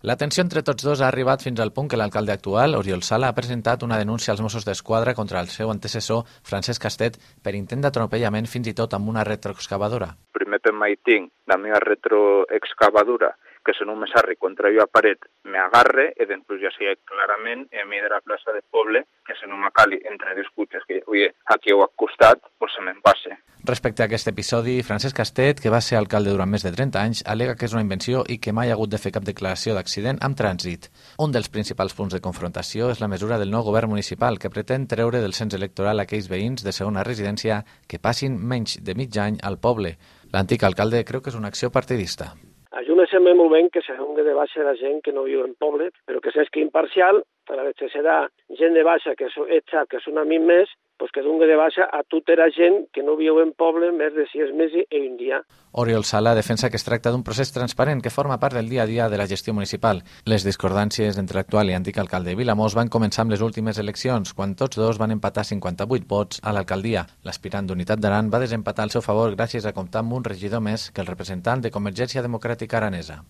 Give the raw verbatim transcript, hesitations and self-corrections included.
La tensió entre tots dos ha arribat fins al punt que l'alcalde actual, Oriol Sala, ha presentat una denúncia als Mossos d'Esquadra contra el seu antecessor, Francesc Castet, per intent d'atropellament fins i tot amb una retroexcavadora. Primer per mai tinc la meva retroexcavadora, que si no me sarri contra jo a paret me agarre, i després ja sé clarament a mi de la plaça de poble que si no m'acali entre dos cotxes que ui, aquí ho ha costat, pues se me'n passe. Respecte a aquest episodi, Francesc Castet, que va ser alcalde durant més de trenta anys, al·lega que és una invenció i que mai ha hagut de fer cap declaració d'accident amb trànsit. Un dels principals punts de confrontació és la mesura del nou govern municipal que pretén treure del cens electoral aquells veïns de segona residència que passin menys de mig any al poble. L'antic alcalde creu que és una acció partidista. A mi me sembla molt bé que se doni de baixa la gent que no viu en poble, però que s'esqui imparcial, per a veure serà gent de baixa que és que són a mi més, pues que doni de baixa a tota la gent que no viu en poble més de sis mesos i un dia. Oriol Sala defensa que es tracta d'un procés transparent que forma part del dia a dia de la gestió municipal. Les discordàncies entre l'actual i antic alcalde de Vilamòs van començar amb les últimes eleccions, quan tots dos van empatar cinquanta-vuit vots a l'alcaldia. L'aspirant d'Unitat d'Aran va desempatar al seu favor gràcies a comptar amb un regidor més que el representant de Convergència Democràtica Aranesa.